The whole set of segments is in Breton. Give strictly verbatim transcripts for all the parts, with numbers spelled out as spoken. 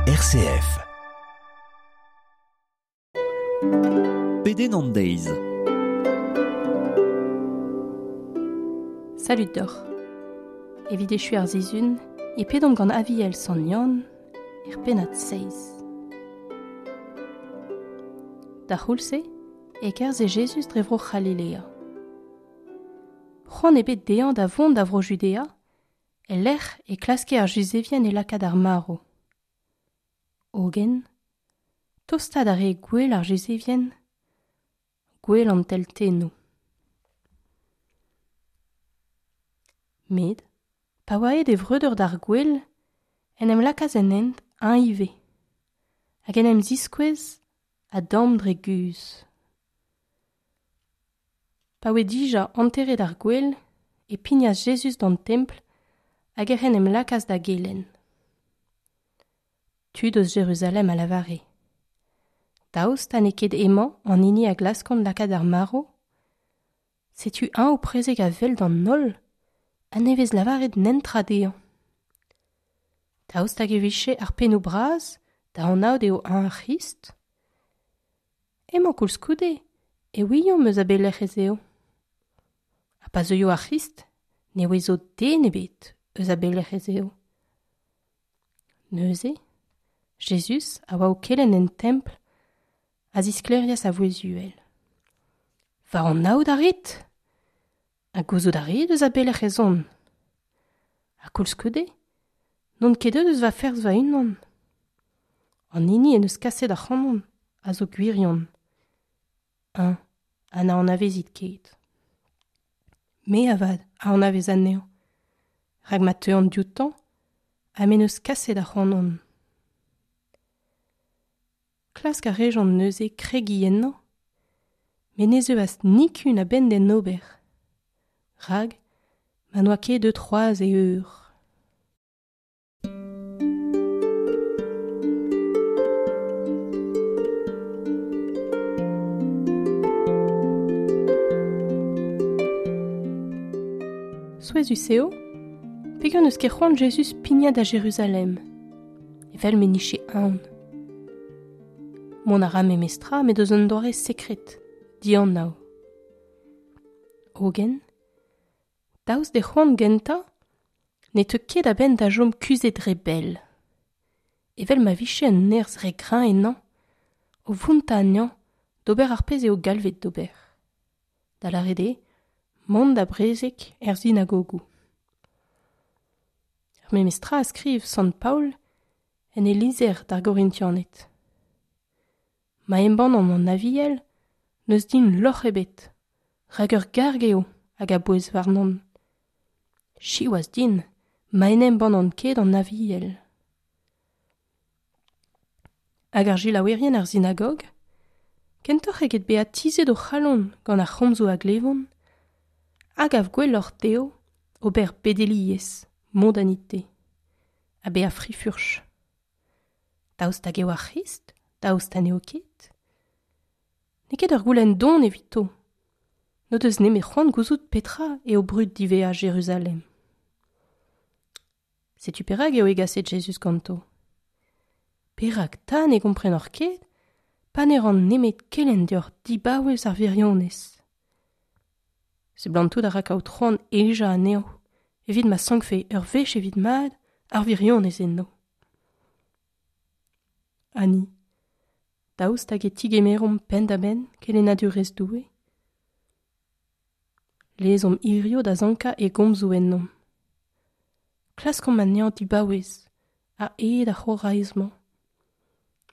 R C F. Pedenn an deiz. Salud deoc'h. Evit echu ar sizhun, e pedomp gant Aviel Sant Yann er pennad seizh. Da c'houlz-se e kerzhe Jezuz dre vro C'halilea. C'hoant ebet dezhañ da vont da vro Judea, el lec'h e klaske ar Juzevien e lakaat ar marv. Hogen, tostaat a rae gwell ar Juzevien, gwell an teltennoù. Met, pa oa aet e vreudeur d'ar gwel, en em lakaas en hent eñ ivez, hag en em ziskouez a-damm dre guzh. Pa oa dija anteret ar gwel, e pignas Jezuz d'an templ hag ec'h en em lakaas da gelenn. Tud eus Jeruzalem a lavare. Daoust ha n'eo ket emañ an hini a glaskont lakaat ar marv? Setu eñ o prezeg a-wel d'an holl, ha ne vez lavaret netra dezhañ. Daoust hag e vije ar pennoù bras da anaout eo eñ ar C'hrist? Emañ koulskoude e ouiomp eus a belec'h ez eo. Ha pa zeuio ar C'hrist, ne ouezo den ebet eus a belec'h ez eo. Neuze, Jezuz a oa o kelenn en templ a zisklêrias a vouezh uhel. Va anaout a rit? Ha gouzout a rit eus a belec'h ez on? Ha koulskoude, n'on ket deuet eus va ferzh va-unan. An hini en deus kaset ac'hanon a zo gwirion. Eñ, ha na anavezit ket. Me avat a anavez anezhañ, rak ma teuan dioutañ ha m'en deus kaset ac'hanon. Klask a rejont neuze kregiñ ennañ, met ne zeuas nikun a-benn d'en ober, rak ma n'oa ket deuet c'hoazh e eur. Souezhus eo, peogwir n'eus ket c'hoant Jezuz pignat da Jeruzalem, evel m'en dije aon. Mont a ra memestra met eus un doare sekret, dianav. Hogen, daoust d'e c'hoant gentañ, ne teu ket a-benn da chom kuzhet re bell. Evel ma vije un nerzh re greñv ennañ, o vountañ anezhañ d'ober ar pezh eo galvet d'ober. Da lâret eo, mont da brezeg er sinagogoù. Ar memestra a skriv Sant Paol en e lizher d'ar Gorintianed. Ma embannan an Aviel, n'eus din lorc'h ebet, rak ur garg eo hag a bouez warnon. Siwazh din, ma en embannan ket an Aviel. Hag ar selaouerien ar sinagog, kentoc'h eget bezañ tizhet o c'halon gant ar c'homzoù a glevont, hag av gwelloc'h dezho ober bedeliezh, mondanite, ha bezañ frifurch. Daoust hag eo ar C'hrist? Daoust ha n'eo ket? N'eo ket ur goulenn don evito. N'o deus nemet c'hoant gouzout petra eo brud diwezhañ Jeruzalem. Setu perak eo hegaset Jezuz ganto. Perak 'ta ne gomprenoc'h ket, pa ne ran nemet kelenn deoc'h dibaouez ar wirionez. Seblantout a ra kaout c'hoant hejañ anezho, evit ma sankfe ur wech evit mat ar wirionez enno. Ha ni, daoust hag e tigemeromp penn-da-benn kelennadurezh Doue? Lezomp hirio da sankañ e gomzoù ennomp. Klaskomp anezhañ dibaouez, a-hed ar c'horaez-mañ.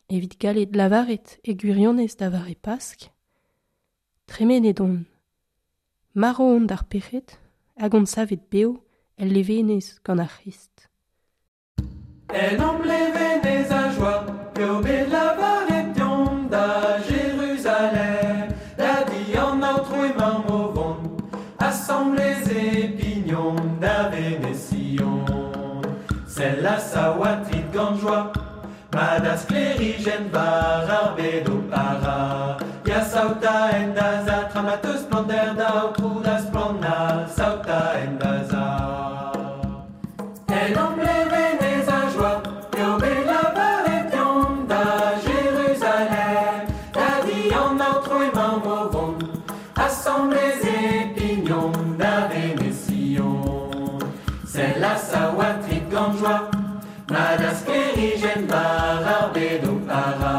Evit gallet lavaret e gwirionez da vare Pask, tremenet on, marv on d'ar pec'hed hag on savet bev el levenez gant ar C'hrist. En am levenez a joa, eo bet lavaret deomp da Jeruzalem, da di an Aotrou emañ o vont, asamblez e pignomp da Venez-Sion. Sell a saoatrit gant joa, ma da sklêrijenn war ar bed o para. Ya saoта en da za, tra ma teus splannder da Aotrou da splanna, saoта en da za. En am levenez a joa, eo bet lavaret Ma da sklerijenn war ar bed o para.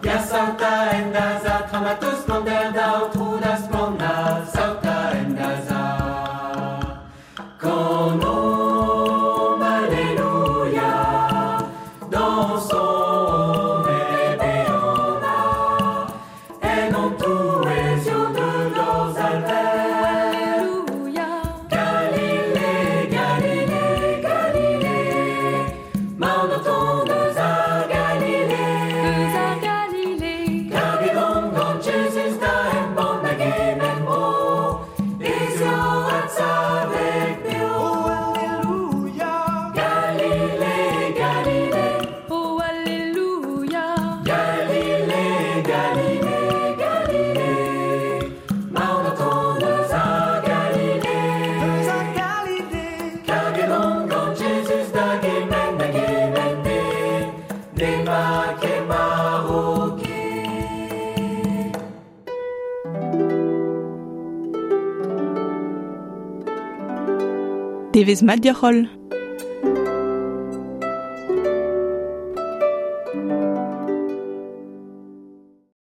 Ya saota en da za, tramatos splannder da aotrou da splanna, saota en da za. Kanomp, alleluia, dansomp e beana, en hon touez yo deut hor zalver. Alleluia. Galilée, Galilée, Galilée, maon o tont eus ar Galilée. Eus ar Galilée. Karget on gant Jezuz da embann da gement bro, ez eo adsavet beo. Oh, Alleluia. Galilée, Galilée, Oh, Alleluia. Galilée, Galilée, Galilée, maon o tont eus ar Galilée. Eus ar Galilée. Karget on gant Jezuz da gement da gement den, n'ema ket maro ket. Devezh mat deoc'h holl.